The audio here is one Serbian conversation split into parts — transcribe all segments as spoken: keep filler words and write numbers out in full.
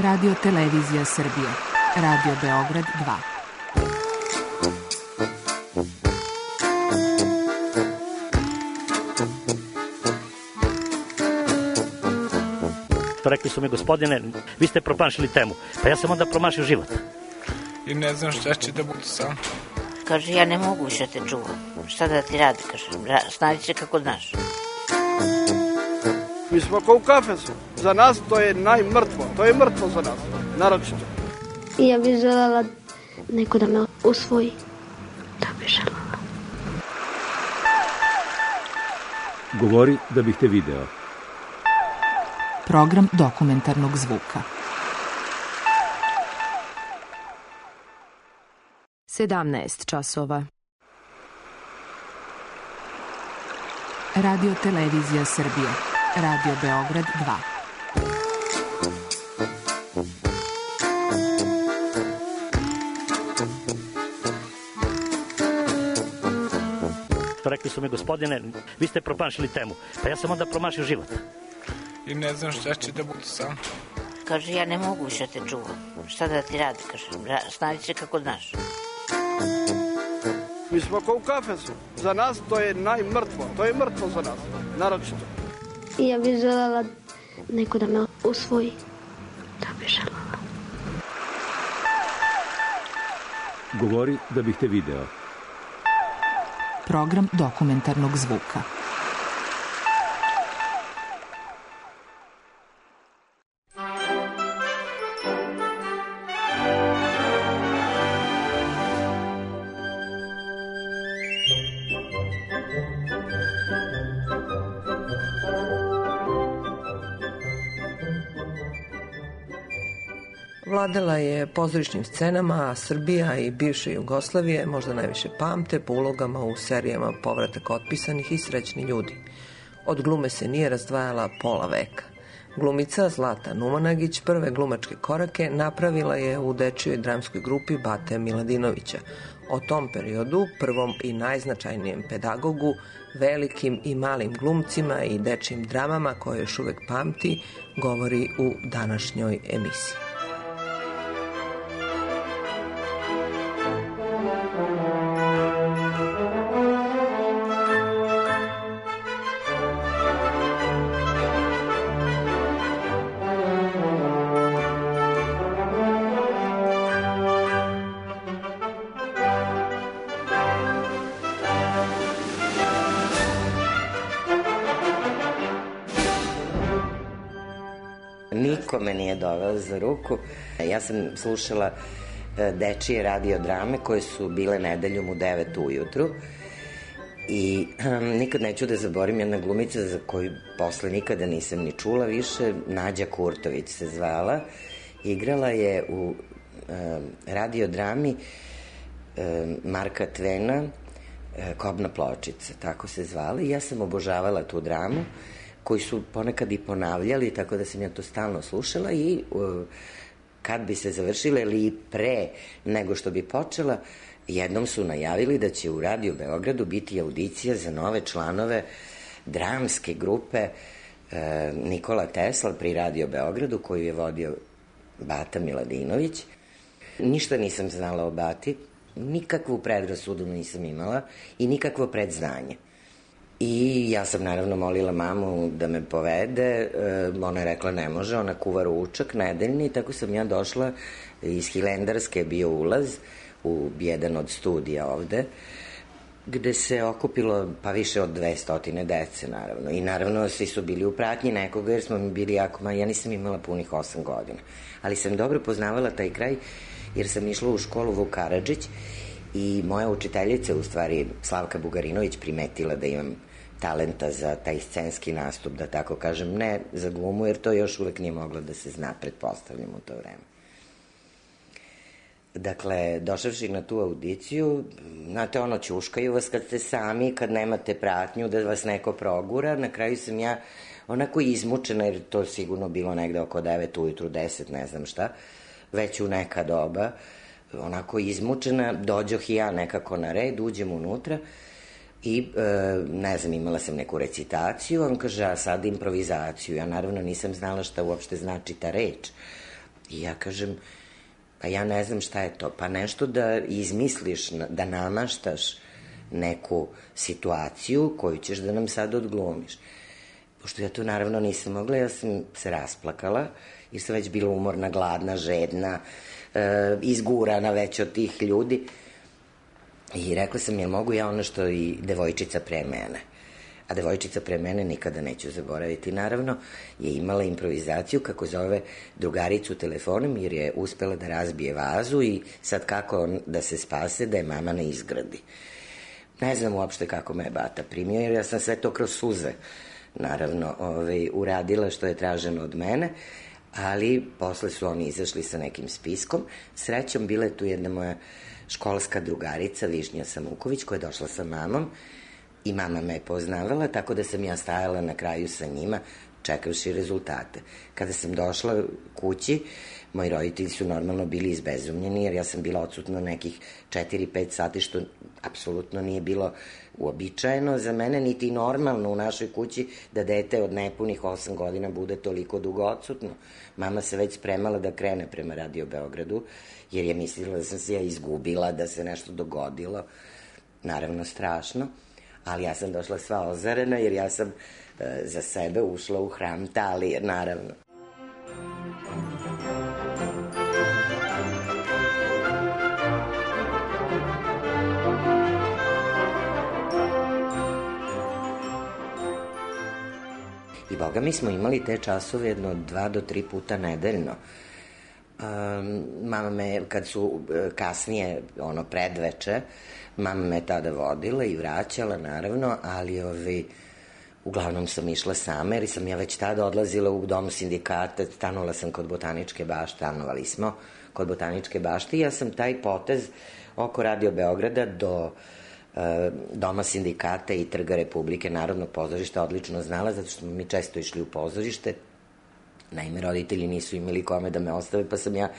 Radio Televizija Srbije. Radio Beograd dva. Rekli su mi, gospodine, vi ste promašili temu. Pa ja sam onda promašio život. I ne znam šta će da bude sam. Kaže, ja ne mogu više te čuvam. Šta da ti radi, kaže, snađi se kako znaš. Mi smo kao u kafesu. Za nas to je najmrtvo. To je mrtvo za nas, naročito. I ja bih želela neko da me usvoji. Da bih želela. Govori da bih te video. Program dokumentarnog zvuka. sedamnaest časova. Radio Televizija Srbije. Radio Beograd dva. Rekli su mi, gospodine, vi ste promašili temu. Pa ja sam onda promašio život. I ne znam šta će da bude sam. Kaže, ja ne mogu više te čuvam. Šta da ti radi, kaže, snađi se kako znaš. Mi smo kao u kafesu. Za nas to je najmrtvo. To je mrtvo za nas, naročito. I ja bih želela neko da me usvoji. Da bih želela. Govori da bih te video. Program dokumentarnog zvuka. Vladala je pozorišnim scenama, a Srbija i bivše Jugoslavije možda najviše pamte po ulogama u serijama Povratak otpisanih i Srećni ljudi. Od glume se nije razdvajala pola veka. Glumica Zlata Numanagić prve glumačke korake napravila je u dečijoj dramskoj grupi Bate Miladinovića. O tom periodu, prvom i najznačajnijem pedagogu, velikim i malim glumcima i dečijim dramama koje još uvek pamti, govori u današnjoj emisiji. Niko me nije doveo za ruku. Ja sam slušala dečije radiodrame koje su bile nedeljom u devet ujutru i um, nikad neću da zaborim jedna glumica za koju posle nikada nisam ni čula više, Nađa Kurtović se zvala. Igrala je u um, radiodrami um, Marka Tvena um, Kobna pločica, tako se zvala, i ja sam obožavala tu dramu koji su ponekad i ponavljali, tako da sam ja to stalno slušala i uh, kad bi se završila ili pre nego što bi počela, jednom su najavili da će u Radio Beogradu biti audicija za nove članove dramske grupe uh, Nikola Tesla pri Radio Beogradu, koju je vodio Bata Miladinović. Ništa nisam znala o Bati, nikakvu predrasudu nisam imala i nikakvo predznanje. I ja sam naravno molila mamu da me povede, ona je rekla ne može, ona kuva ručak nedeljni, tako sam ja došla iz Hilendarske, je bio ulaz u jedan od studija ovde, gde se okupilo pa više od dvestotine dece naravno, i naravno svi su bili u pratnji nekoga jer smo mi bili jako, ma ja nisam imala punih osam godina, ali sam dobro poznavala taj kraj jer sam išla u školu Vuk Karadžić i moja učiteljica, u stvari Slavka Bugarinović, primetila da imam talenta za taj scenski nastup, da tako kažem, ne za glumu, jer to još uvek nije moglo da se zna, pretpostavljam u to vreme. Dakle, došavši na tu audiciju, znate, ono, ćuškaju vas kad ste sami, kad nemate pratnju, da vas neko progura. Na kraju sam ja onako izmučena, jer to sigurno bilo negde oko devet ujutru, deset, ne znam šta, već u neka doba, onako izmučena, dođoh i ja nekako na red, uđem unutra i, e, ne znam, imala sam neku recitaciju, on kaže, a sad improvizaciju. Ja naravno nisam znala šta uopšte znači ta reč. I ja kažem, pa ja ne znam šta je to, pa nešto da izmisliš, da namaštaš neku situaciju koju ćeš da nam sad odglumiš. Pošto ja to naravno nisam mogla, ja sam se rasplakala, jer sam već bila umorna, gladna, žedna, e, izgurana već od tih ljudi. I rekla sam, jel mogu ja ono što i devojčica pre mene? A devojčica pre mene nikada neću zaboraviti. Naravno, je imala improvizaciju kako zove drugaricu telefonom, jer je uspela da razbije vazu i sad kako da se spase da je mama ne izgradi. Ne znam uopšte kako me je bata primio, jer ja sam sve to kroz suze, naravno, ovaj, uradila što je traženo od mene, ali posle su oni izašli sa nekim spiskom. Srećom, bila je tu jedna moja školska drugarica, Višnja Samuković, koja je došla sa mamom i mama me je poznavala, tako da sam ja stajala na kraju sa njima, čekavši rezultate. Kada sam došla kući, moji roditelji su normalno bili izbezumljeni, jer ja sam bila odsutna nekih četiri pet sati, što apsolutno nije bilo uobičajeno za mene, niti normalno u našoj kući da dete od nepunih osam godina bude toliko dugo odsutno. Mama se već spremala da krene prema Radio Beogradu, jer je mislila da sam se ja izgubila, da se nešto dogodilo. Naravno, strašno. Ali ja sam došla sva ozarena, jer ja sam e, za sebe ušla u hram Talije, naravno. I boga, mi smo imali te časove jedno dva do tri puta nedeljno. Um, mama me, kad su kasnije, ono, predveče, mama me tada vodila i vraćala, naravno, ali ovi, uglavnom sam išla sama, jer sam ja već tada odlazila u dom sindikata, stanovala sam kod Botaničke bašte, stanovali smo kod Botaničke bašte i ja sam taj potez oko Radio Beograda do e, doma sindikata i Trga Republike, Narodnog pozorišta odlično znala, zato što smo mi često išli u pozorište. Naime, roditelji nisu imali kome da me ostave, pa sam ja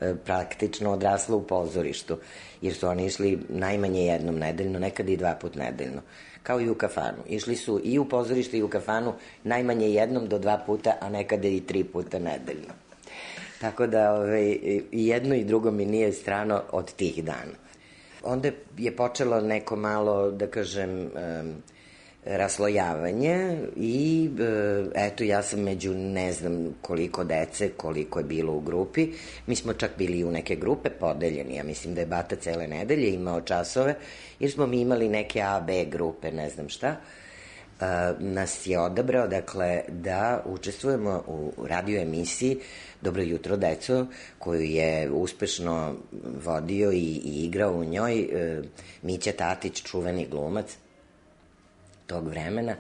e, praktično odrasla u pozorištu, jer su oni išli najmanje jednom nedeljno, nekada i dva put nedeljno, kao i u kafanu. Išli su i u pozorište i u kafanu najmanje jednom do dva puta, a nekada i tri puta nedeljno. Tako da ove, i jedno i drugo mi nije strano od tih dana. Onda je počelo neko malo, da kažem, e, raslojavanje i eto, ja sam među ne znam koliko dece, koliko je bilo u grupi. Mi smo čak bili u neke grupe podeljeni, ja mislim da je bata cele nedelje imao časove, jer smo mi imali neke A, B grupe, ne znam šta. Nas je odabrao, dakle, da učestvujemo u radio emisiji Dobro jutro, deco, koju je uspešno vodio i, i igrao u njoj Mića Tatić, čuveni glumac tog vremena,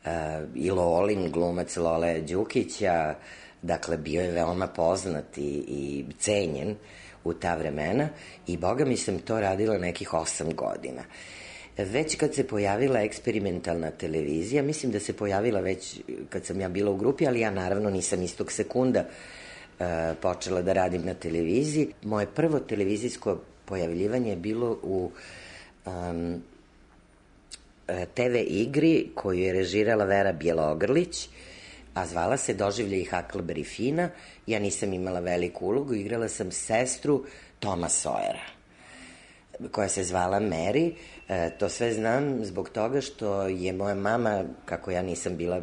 uh, i Lolin, glumac Lole Đukića, dakle, bio je veoma poznat i, i cenjen u ta vremena i boga mi sam to radila nekih osam godina. Već kad se pojavila eksperimentalna televizija, mislim da se pojavila već kad sam ja bila u grupi, ali ja naravno nisam istog sekunda uh, počela da radim na televiziji. Moje prvo televizijsko pojavljivanje je bilo u um, te ve igri koju je režirala Vera Bjelogrlić, a zvala se Doživljaj Huckleberry Fina. Ja nisam imala veliku ulogu, igrala sam sestru Toma Sawyera, koja se zvala Mary. E, to sve znam zbog toga što je moja mama, kako ja nisam bila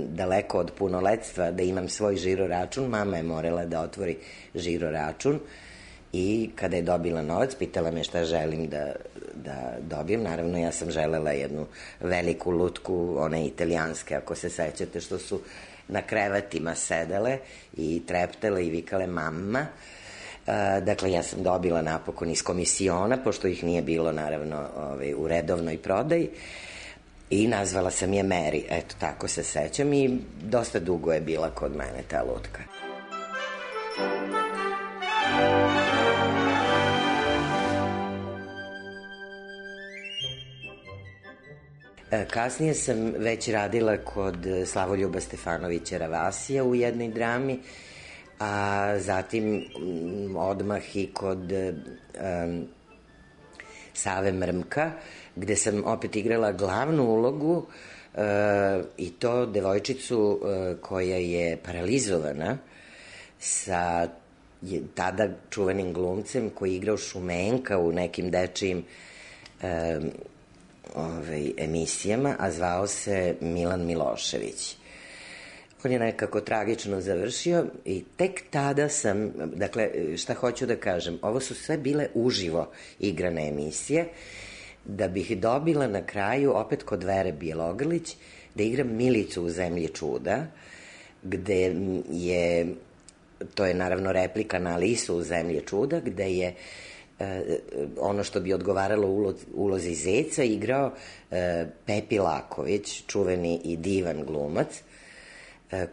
daleko od punoletstva da imam svoj žiro račun, mama je morala da otvori žiro račun i kada je dobila novac, pitala me šta želim da, da dobijem. Naravno, ja sam želela jednu veliku lutku, one italijanske, ako se sećate, što su na krevetima sedele i treptele i vikale mama. E, dakle, ja sam dobila napokon iz komisiona, pošto ih nije bilo, naravno, ovaj, u redovnoj prodaji, i nazvala sam je Mary. Eto, tako se sećam i dosta dugo je bila kod mene ta lutka. Kasnije sam već radila kod Slavoljuba Stefanovića Ravasija u jednoj drami, a zatim odmah i kod um, Save Mrmka, gde sam opet igrala glavnu ulogu, uh, i to devojčicu uh, koja je paralizovana sa je, tada čuvenim glumcem koji je igrao Šumenka u nekim dečijim e, ovaj, emisijama, a zvao se Milan Milošević. On je nekako tragično završio i tek tada sam, dakle, šta hoću da kažem, ovo su sve bile uživo igrane emisije, da bih dobila na kraju, opet kod Vere Bjelogrlić, da igram Milicu u Zemlji čuda, gde je, to je naravno replika na Alisu u Zemlji čuda, gde je ono što bi odgovaralo ulozi, ulozi Zeca igrao Pepi Laković, čuveni i divan glumac,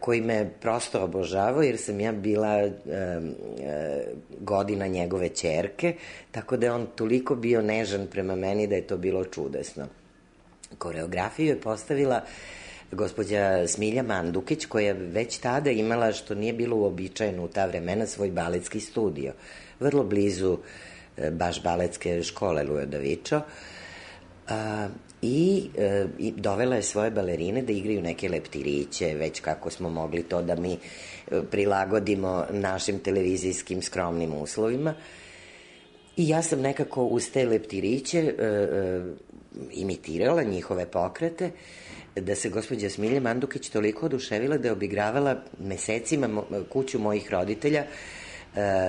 koji me prosto obožavao, jer sam ja bila e, e, godina njegove ćerke, tako da je on toliko bio nežan prema meni da je to bilo čudesno. Koreografiju je postavila gospođa Smilja Mandukić, koja već tada imala, što nije bilo uobičajeno u ta vremena, svoj baletski studio, vrlo blizu e, baš baletske škole Ludovičo, a, I, e, i dovela je svoje balerine da igraju neke leptiriće, već kako smo mogli to da mi prilagodimo našim televizijskim skromnim uslovima. I ja sam nekako uz te leptiriće e, e, imitirala njihove pokrete, da se gospođa Smilja Mandukić toliko oduševila da je obigravala mesecima mo, kuću mojih roditelja,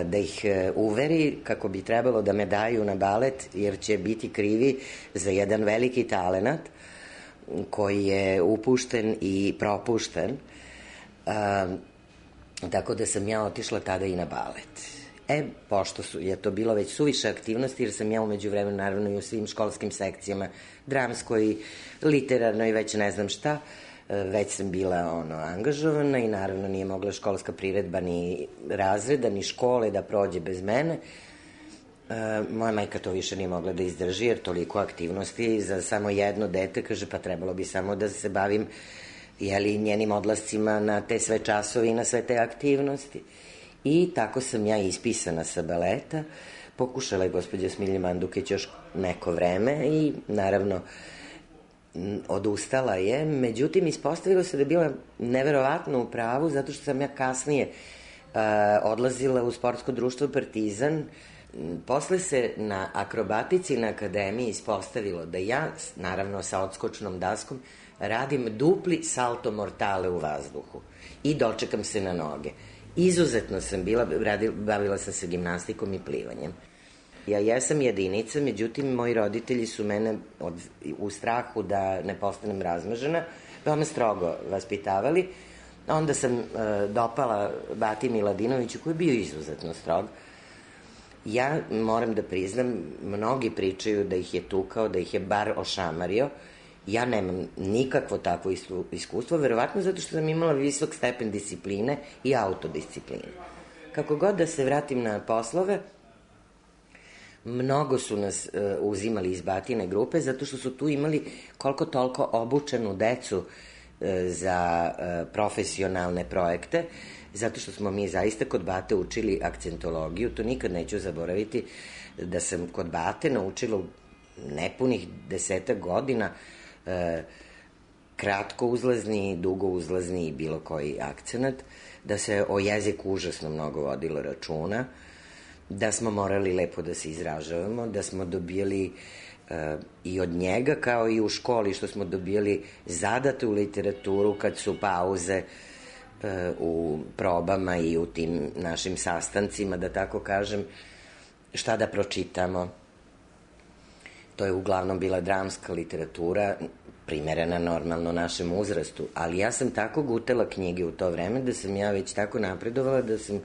da ih uveri kako bi trebalo da me daju na balet, jer će biti krivi za jedan veliki talenat koji je upušten i propušten. A, tako da sam ja otišla tada i na balet. E, pošto su, je to bilo već suviše aktivnosti, jer sam ja umeđu vremenu naravno i u svim školskim sekcijama, dramskoj, literarnoj, već ne znam šta, već sam bila ono angažovana i naravno nije mogla školska priredba ni razreda, ni škole da prođe bez mene. E, moja majka to više nije mogla da izdrži, jer toliko aktivnosti za samo jedno dete, kaže, pa trebalo bi samo da se bavim jeli, njenim odlascima na te sve časove i na sve te aktivnosti. I tako sam ja ispisana sa baleta. Pokušala je gospođa Smilja Mandukić još neko vreme i naravno odustala je, međutim ispostavilo se da je bila neverovatno u pravu, zato što sam ja kasnije uh, odlazila u sportsko društvo Partizan. Posle se na akrobatici na akademiji ispostavilo da ja, naravno sa odskočnom daskom, radim dupli salto mortale u vazduhu i dočekam se na noge. Izuzetno sam bila, radila, bavila sam se gimnastikom i plivanjem. Ja jesam jedinica, međutim, moji roditelji su mene od, u strahu da ne postanem razmažena, veoma strogo vaspitavali. Onda sam e, dopala Bati Miladinoviću, koji je bio izuzetno strog. Ja moram da priznam, mnogi pričaju da ih je tukao, da ih je bar ošamario. Ja nemam nikakvo takvo iskustvo, verovatno zato što sam imala visok stepen discipline i autodiscipline. Kako god da se vratim na poslove, mnogo su nas uh, uzimali iz Batine grupe, zato što su tu imali koliko toliko obučenu decu uh, za uh, profesionalne projekte, zato što smo mi zaista kod Bate učili akcentologiju. To nikad neću zaboraviti, da sam kod Bate naučila nepunih desetak godina uh, kratko uzlazni, dugo uzlazni i bilo koji akcenat, da se o jeziku užasno mnogo vodilo računa, da smo morali lepo da se izražavamo, da smo dobijali uh, i od njega, kao i u školi, što smo dobijali zadate u literaturu kad su pauze uh, u probama i u tim našim sastancima, da tako kažem, šta da pročitamo. To je uglavnom bila dramska literatura, primerena normalno našem uzrastu, ali ja sam tako gutala knjige u to vreme da sam ja već tako napredovala da sam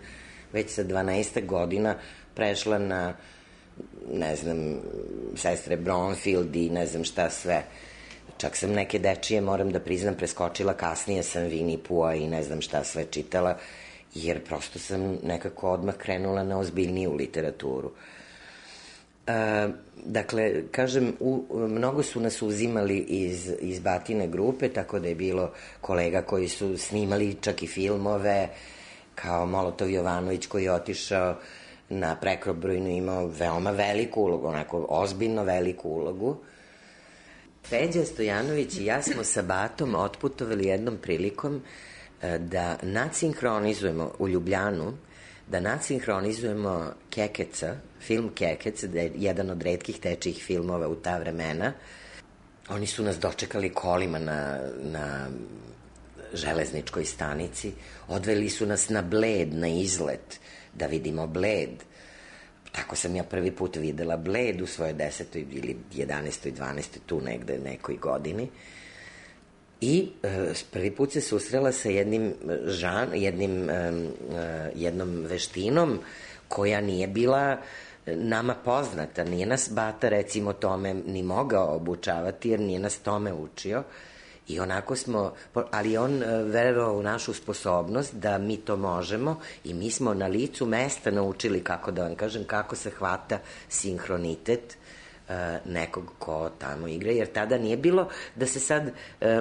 već sa dvanaest godina prešla na, ne znam, Sestre Bromfield i ne znam šta sve. Čak sam neke dečije, moram da priznam, preskočila, kasnije sam Winnie Pooha i ne znam šta sve čitala, jer prosto sam nekako odmah krenula na ozbiljniju literaturu. E, dakle, kažem, u, mnogo su nas uzimali iz, iz Batine grupe, tako da je bilo kolega koji su snimali čak i filmove, kao Molotov Jovanović koji je otišao na Prekobrojnu, imao veoma veliku ulogu, onako ozbiljno veliku ulogu. Peđa Stojanović i ja smo sa Batom otputovali jednom prilikom da nadsinhronizujemo u Ljubljanu, da nadsinhronizujemo Kekeca, film Kekec, da je jedan od retkih dečijih filmova u ta vremena. Oni su nas dočekali kolima na, na železničkoj stanici, odveli su nas na Bled, na izlet, da vidimo Bled. Tako sam ja prvi put videla Bled u svojoj desetoj ili jedanaestoj, dvanaestoj, tu negde nekoj godini. I e, prvi put se susrela sa jednim žan, jednim, e, jednom veštinom koja nije bila nama poznata. Nije nas bata, recimo, tome ni mogao obučavati, jer nije nas tome učio. I onako smo, ali on verovao u našu sposobnost da mi to možemo i mi smo na licu mesta naučili, kako da vam kažem, kako se hvata sinhronitet nekog ko tamo igra, jer tada nije bilo da se sad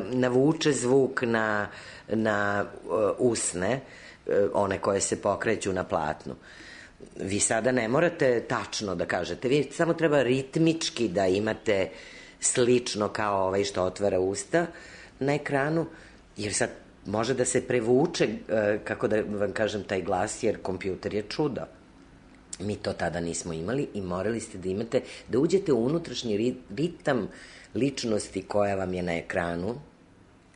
navuče zvuk na, na usne, one koje se pokreću na platnu. Vi sada ne morate tačno da kažete, vi samo treba ritmički da imate slično kao ovaj što otvara usta na ekranu, jer sad može da se prevuče, kako da vam kažem, taj glas, jer kompjuter je čudo. Mi to tada nismo imali i morali ste da imate, da uđete u unutrašnji ritam ličnosti koja vam je na ekranu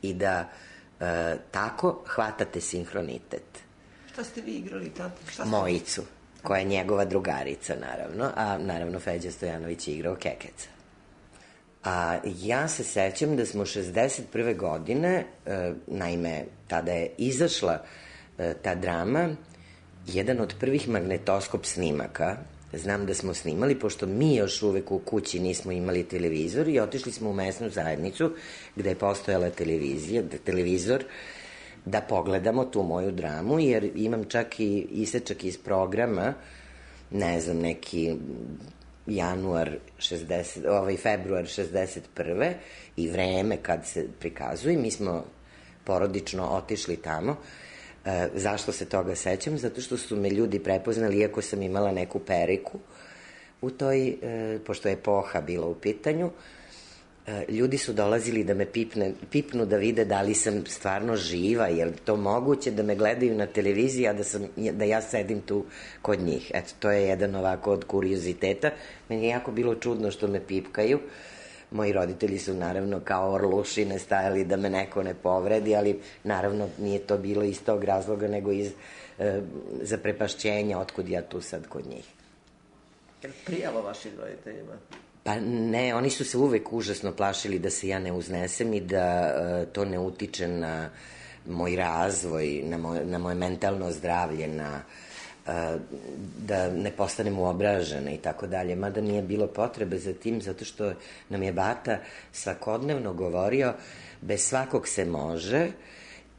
i da e, tako hvatate sinhronitet. Šta ste vi igrali tada? Mojicu, koja je njegova drugarica, naravno, a naravno Feđa Stojanović je igrao Kekeca. A ja se sećam da smo šezdeset prve godine, e, naime, tada je izašla e, ta drama, jedan od prvih magnetoskop snimaka. Znam da smo snimali, pošto mi još uvek u kući nismo imali televizor i otišli smo u mesnu zajednicu gde je postojala televizija, televizor, da pogledamo tu moju dramu, jer imam čak i isečak iz programa, ne znam, neki januar šezdeset, ovaj februar šezdeset prve i vreme kad se prikazuje. Mi smo porodično otišli tamo. E, zašto se toga sećam? Zato što su me ljudi prepoznali, iako sam imala neku periku u toj, e, pošto je epoha bila u pitanju. E, ljudi su dolazili da me pipne, pipnu da vide da li sam stvarno živa, jer to moguće da me gledaju na televiziji, a da, sam, da ja sedim tu kod njih. Eto, to je jedan ovako od kurioziteta. Meni je jako bilo čudno što me pipkaju. Moji roditelji su naravno kao orlušine stajali da me neko ne povredi, ali naravno nije to bilo iz tog razloga, nego iz e, zaprepašćenja, otkud ja tu sad kod njih. Je li prijalo vašim roditeljima? Pa ne, oni su se uvek užasno plašili da se ja ne uznesem i da e, to ne utiče na moj razvoj, na moje, na moje mentalno zdravlje, na da ne postanem uobražena i tako dalje, mada nije bilo potrebe za tim, zato što nam je bata svakodnevno govorio bez svakog se može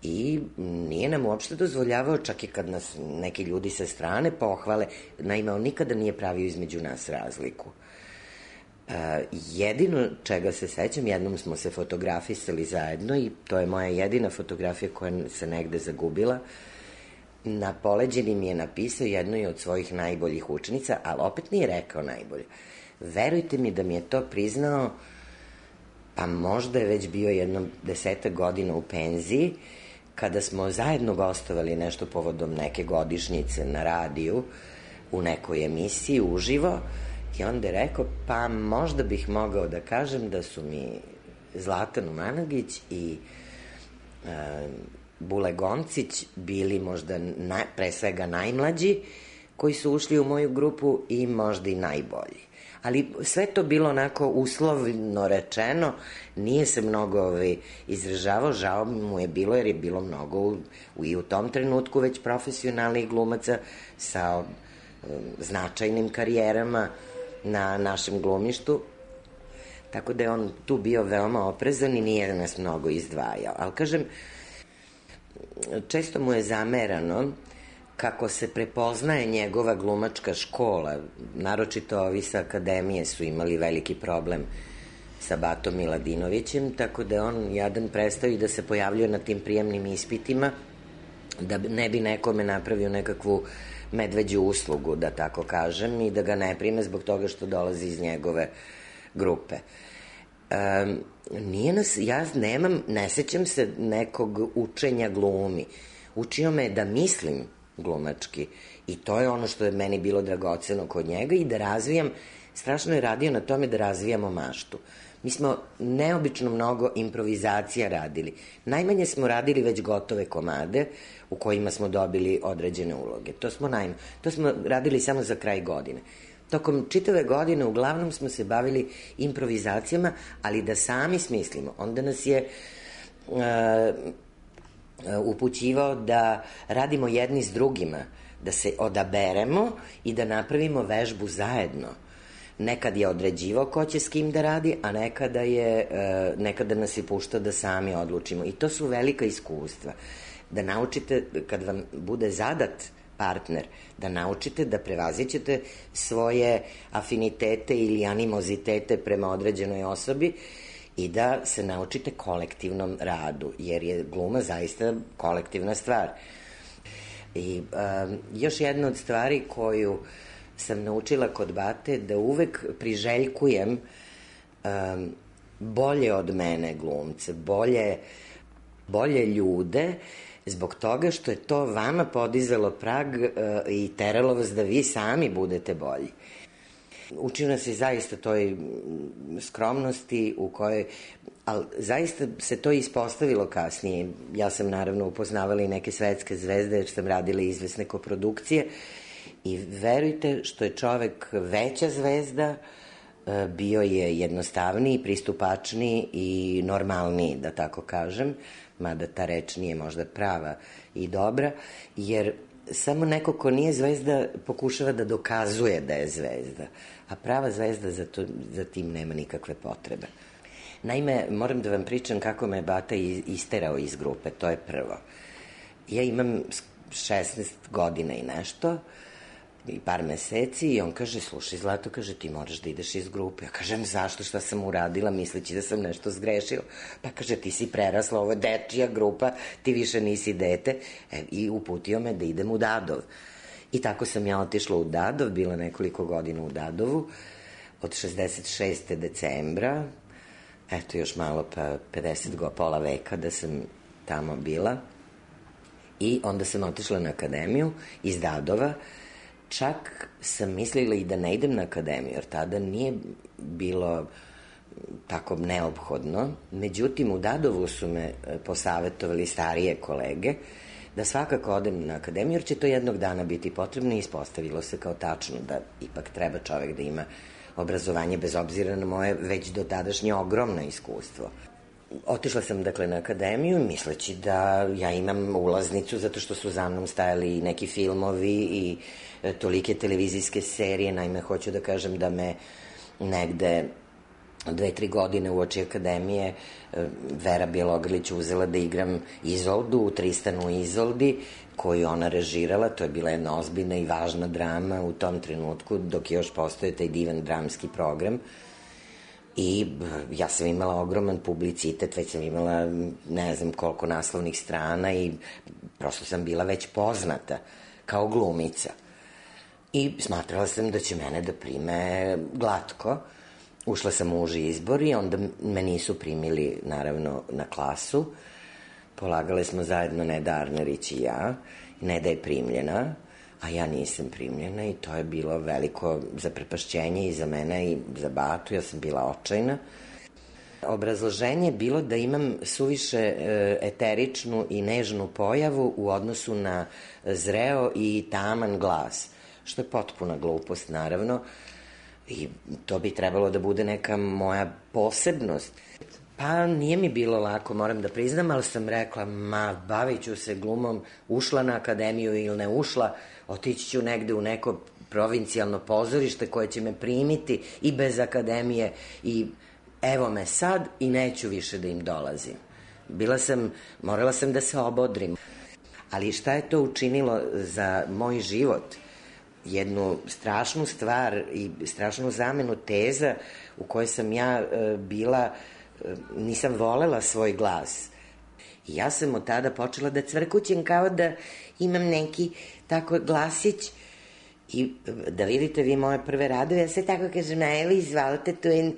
i nije nam uopšte dozvoljavao, čak i kad nas neki ljudi sa strane pohvale. Naime, on nikada nije pravio između nas razliku. Uh, jedino čega se sećam, jednom smo se fotografisali zajedno i to je moja jedina fotografija koja se negde zagubila. Na poleđini mi je napisao jednoj od svojih najboljih učenica, ali opet nije rekao najbolje. Verujte mi da mi je to priznao, pa možda je već bio jedno desetak godina u penziji, kada smo zajedno gostovali nešto povodom neke godišnjice na radiju, u nekoj emisiji uživo, i onda je rekao, pa možda bih mogao da kažem da su mi Zlatan Umanagić i uh, Bule Goncić bili možda na, pre svega najmlađi koji su ušli u moju grupu i možda i najbolji. Ali sve to bilo onako uslovno rečeno, nije se mnogo ovaj, izražavao, žao mu je bilo jer je bilo mnogo u, u, i u tom trenutku već profesionalnih glumaca sa um, značajnim karijerama na našem glumištu. Tako da je on tu bio veoma oprezan i nije nas mnogo izdvajao. Ali kažem, često mu je zamerano kako se prepoznaje njegova glumačka škola, naročito ovi sa akademije su imali veliki problem sa Batom Miladinovićem, tako da on jadan prestao i da se pojavljuje na tim prijemnim ispitima, da ne bi nekome napravio nekakvu medveđu uslugu, da tako kažem, i da ga ne prime zbog toga što dolazi iz njegove grupe. Um, nije nas, ja nemam, ne sećam se nekog učenja glumi. Učio me da mislim glumački i to je ono što je meni bilo dragoceno kod njega i da razvijam, strašno je radio na tome da razvijamo maštu. Mi smo neobično mnogo improvizacija radili. Najmanje smo radili već gotove komade u kojima smo dobili određene uloge. To smo, najma, to smo radili samo za kraj godine. Tokom čitave godine uglavnom smo se bavili improvizacijama, ali da sami smislimo. Onda nas je uh, upućivao da radimo jedni s drugima, da se odaberemo i da napravimo vežbu zajedno. Nekad je određivao ko će s kim da radi, a nekada, je, uh, nekada nas je puštao da sami odlučimo. I to su velika iskustva. Da naučite, kad vam bude zadat partner, da naučite da prevazićete svoje afinitete ili animozitete prema određenoj osobi i da se naučite kolektivnom radu, jer je gluma zaista kolektivna stvar. I um, još jedna od stvari koju sam naučila kod Bate, da uvek priželjkujem um, bolje od mene glumce, bolje, bolje ljude, zbog toga što je to vama podizalo prag uh, i teralo vas da vi sami budete bolji. Učio nas je zaista toj skromnosti u kojoj, ali zaista se to ispostavilo kasnije. Ja sam naravno upoznavala i neke svetske zvezde, jer sam radila izvesne koprodukcije i verujte što je čovek veća zvezda, uh, bio je jednostavniji, pristupačniji i normalniji, da tako kažem, mada ta reč nije možda prava i dobra, jer samo neko ko nije zvezda pokušava da dokazuje da je zvezda, a prava zvezda za, to, za tim nema nikakve potrebe. Naime, moram da vam pričam kako me Bata isterao iz grupe, to je prvo. Ja imam šesnaest godina i nešto, i par meseci, i on kaže, slušaj Zlato, kaže, ti moraš da ideš iz grupe. Ja kažem, zašto, šta sam uradila, misleći da sam nešto zgrešila. Pa kaže, ti si prerasla, ovo je dečija grupa, ti više nisi dete. E, i uputio me da idem u Dadov. I tako sam ja otišla u Dadov, bila nekoliko godina u Dadovu, od šezdeset šestog decembra, eto još malo pa pedeset go, pola veka da sam tamo bila. I onda sam otišla na akademiju iz Dadova. Čak sam mislila i da ne idem na akademiju, jer tada nije bilo tako neophodno. Međutim, u Dadovu su me posavetovali starije kolege da svakako odem na akademiju, jer će to jednog dana biti potrebno i ispostavilo se kao tačno da ipak treba čovek da ima obrazovanje bez obzira na moje već do tadašnje ogromno iskustvo. Otišla sam dakle na akademiju misleći da ja imam ulaznicu zato što su za mnom stajali neki filmovi i tolike televizijske serije. Naime, hoću da kažem da me negde dve, tri godine uoči akademije Vera Bjelogrlić uzela da igram Izoldu u Tristanu i Izoldi, koju ona režirala. To je bila jedna ozbiljna i važna drama u tom trenutku, dok je još postoje taj divan dramski program. I ja sam imala ogroman publicitet, već sam imala ne znam koliko naslovnih strana i prosto sam bila već poznata kao glumica. I smatrala sam da će mene da prime glatko. Ušla sam u uži izbor i onda me nisu primili naravno na klasu. Polagale smo zajedno Neda Arnerić i ja. Neda je primljena, a ja nisam primljena i to je bilo veliko zaprepašćenje i za mene i za Batu. Ja sam bila očajna. Obrazloženje je bilo da imam suviše eteričnu i nežnu pojavu u odnosu na zreo i taman glas, što je potpuna glupost naravno i to bi trebalo da bude neka moja posebnost. Pa nije mi bilo lako, moram da priznam, ali sam rekla, ma, bavit ću se glumom, ušla na akademiju ili ne ušla, otići ću negde u neko provincijalno pozorište koje će me primiti i bez akademije i evo me sad i neću više da im dolazim. Bila sam, morala sam da se obodrim. Ali šta je to učinilo za moj život? Jednu strašnu stvar i strašnu zamenu teza u kojoj sam ja e, bila, e, nisam volela svoj glas. I ja sam od tada počela da cvrkućem kao da imam neki tako glasić. I da vidite vi moje prve radove, ja se tako kažem, na evo izvalite tu in...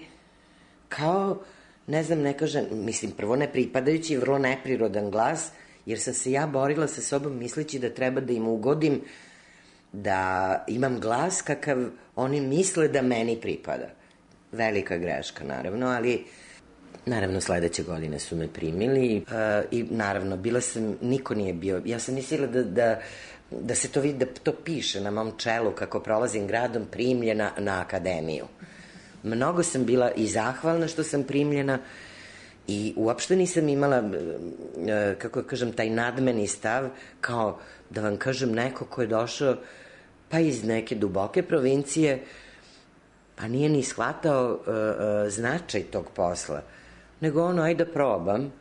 kao ne znam, ne kažem, mislim, prvo ne pripadajući i vrlo neprirodan glas, jer sam se ja borila sa sobom misleći da treba da im ugodim, da imam glas kakav oni misle da meni pripada. Velika greška, naravno, ali naravno sledeće godine su me primili uh, i naravno bila sam, niko nije bio, ja sam mislila da, da, da se to vidi, da to piše na mom čelu kako prolazim gradom, primljena na akademiju. Mnogo sam bila i zahvalna što sam primljena i uopšte nisam imala, uh, kako kažem, taj nadmeni stav kao da vam kažem neko ko je došao pa iz neke duboke provincije, pa nije ni shvatao uh, uh, značaj tog posla, nego ono, ajde da probam.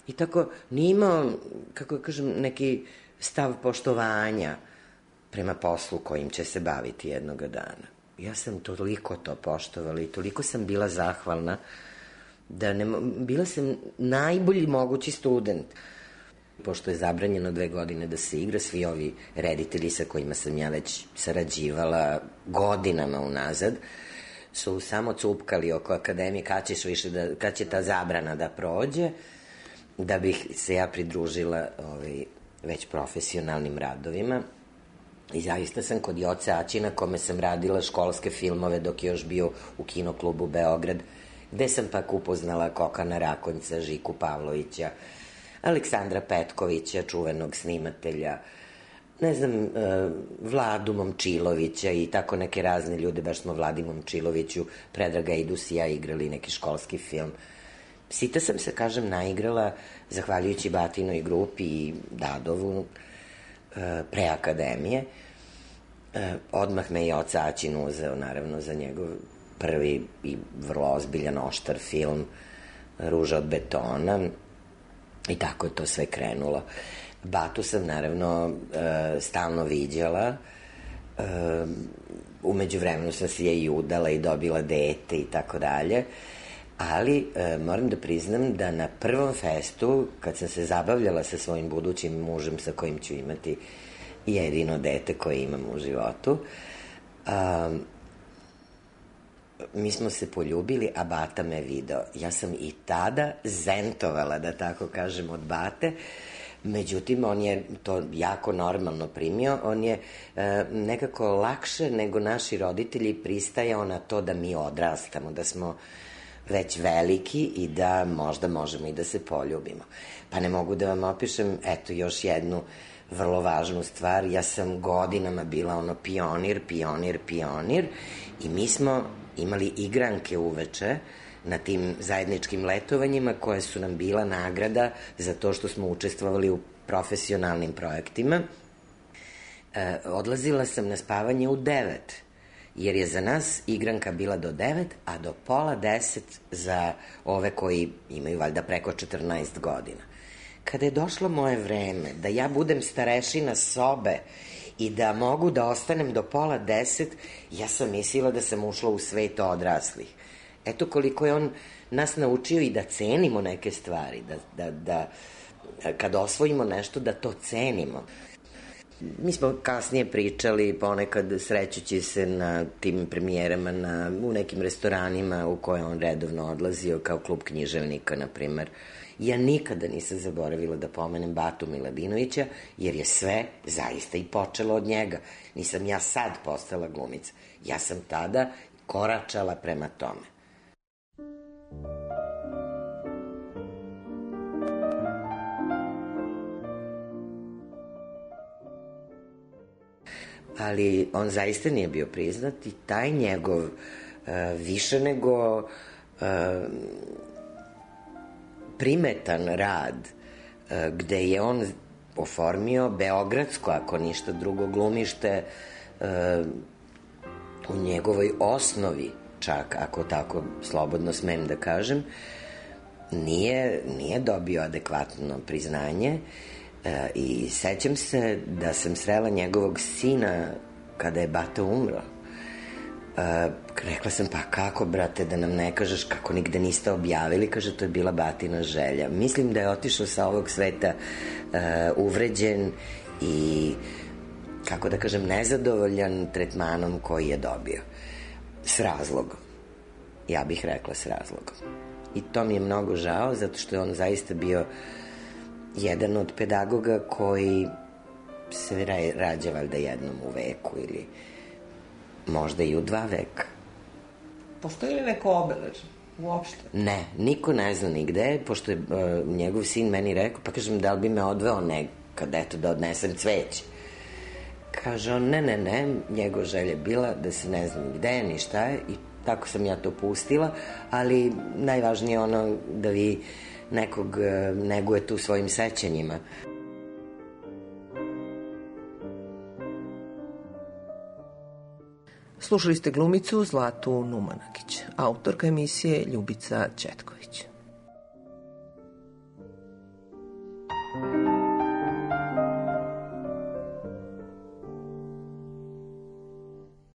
I tako, nije imao, kako kažem, neki stav poštovanja prema poslu kojim će se baviti jednoga dana. Ja sam toliko to poštovala i toliko sam bila zahvalna da ne, bila sam najbolji mogući student. Pošto je zabranjeno dve godine da se igra, svi ovi reditelji sa kojima sam ja već sarađivala godinama unazad, su samo cupkali oko akademije kad ćeš više da, kad će ta zabrana da prođe, da bih se ja pridružila ovaj, već profesionalnim radovima. I zaista sam kod Joce Aćina, kome sam radila školske filmove dok je još bio u kinoklubu Beograd, gde sam pak upoznala Kokana Rakonjca, Žiku Pavlovića, Aleksandra Petkovića, čuvenog snimatelja, ne znam, Vladu Momčilovića i tako neke razne ljude, baš smo Vladi Momčiloviću, Predraga Idus i ja igrali neki školski film. Sita sam se, kažem, naigrala, zahvaljujući Batinoj grupi i Dadovu, pre akademije. Odmah me je Joca Aćin uzeo, naravno, za njegov prvi i vrlo ozbiljan, oštar film Ruža od betona. I tako je to sve krenulo. Batu sam, naravno, e, stalno viđala. E, umeđu vremenu sam se je i udala i dobila dete i tako dalje. Ali e, moram da priznam da na prvom festu, kad sam se zabavljala sa svojim budućim mužem sa kojim ću imati jedino dete koje imam u životu, a, mi smo se poljubili, a Bata me video. Ja sam i tada zentovala, da tako kažem, od Bate. Međutim, on je to jako normalno primio. On je e, nekako lakše nego naši roditelji pristajao na to da mi odrastamo, da smo već veliki i da možda možemo i da se poljubimo. Pa ne mogu da vam opišem, eto, još jednu vrlo važnu stvar. Ja sam godinama bila ono pionir, pionir, pionir i mi smo imali igranke uveče na tim zajedničkim letovanjima koje su nam bila nagrada za to što smo učestvovali u profesionalnim projektima. E, odlazila sam na spavanje u devet, jer je za nas igranka bila do devet, a do pola deset za ove koji imaju valjda preko četrnaest godina. Kada je došlo moje vreme da ja budem starešina sobe i da mogu da ostanem do pola deset, ja sam mislila da sam ušla u svet odraslih. Eto koliko je on nas naučio i da cenimo neke stvari, da, da, da kad osvojimo nešto da to cenimo. Mi smo kasnije pričali ponekad srećući se na tim premijerama na, u nekim restoranima u koje on redovno odlazio, kao klub književnika, na primer. Ja nikada nisam zaboravila da pomenem Batu Miladinovića, jer je sve zaista i počelo od njega. Nisam ja sad postala glumica. Ja sam tada koračala prema tome. Ali on zaista nije bio priznat i taj njegov uh, više nego uh, primetan rad uh, gde je on oformio beogradsko, ako ništa drugo, glumište uh, u njegovoj osnovi, čak ako tako slobodno smem da kažem, nije, nije dobio adekvatno priznanje. E, i sećam se da sam srela njegovog sina kada je Bata umro. E, rekla sam, pa kako, brate, da nam ne kažeš kako nigde niste objavili? Kaže, to je bila Batina želja. Mislim da je otišao sa ovog sveta e, uvređen i, kako da kažem, nezadovoljan tretmanom koji je dobio. S razlogom. Ja bih rekla s razlogom. i to mi je mnogo žao, zato što je on zaista bio jedan od pedagoga koji se rađa valjda jednom u veku ili možda i u dva veka. Postoji li neko obeležje uopšte? Ne, niko ne zna nigde, pošto je uh, njegov sin meni rekao, pa kažem, da li bi me odveo nekad, eto, da odnesem cveće. Kaže on, ne, ne, ne, njegova želja je bila da se ne zna ni gde, ni šta je, i tako sam ja to pustila, ali najvažnije je ono da vi nekog uh, negujete u svojim sećanjima. Slušali ste glumicu Zlatu Numanagić, autorka emisije Ljubica Ćetković.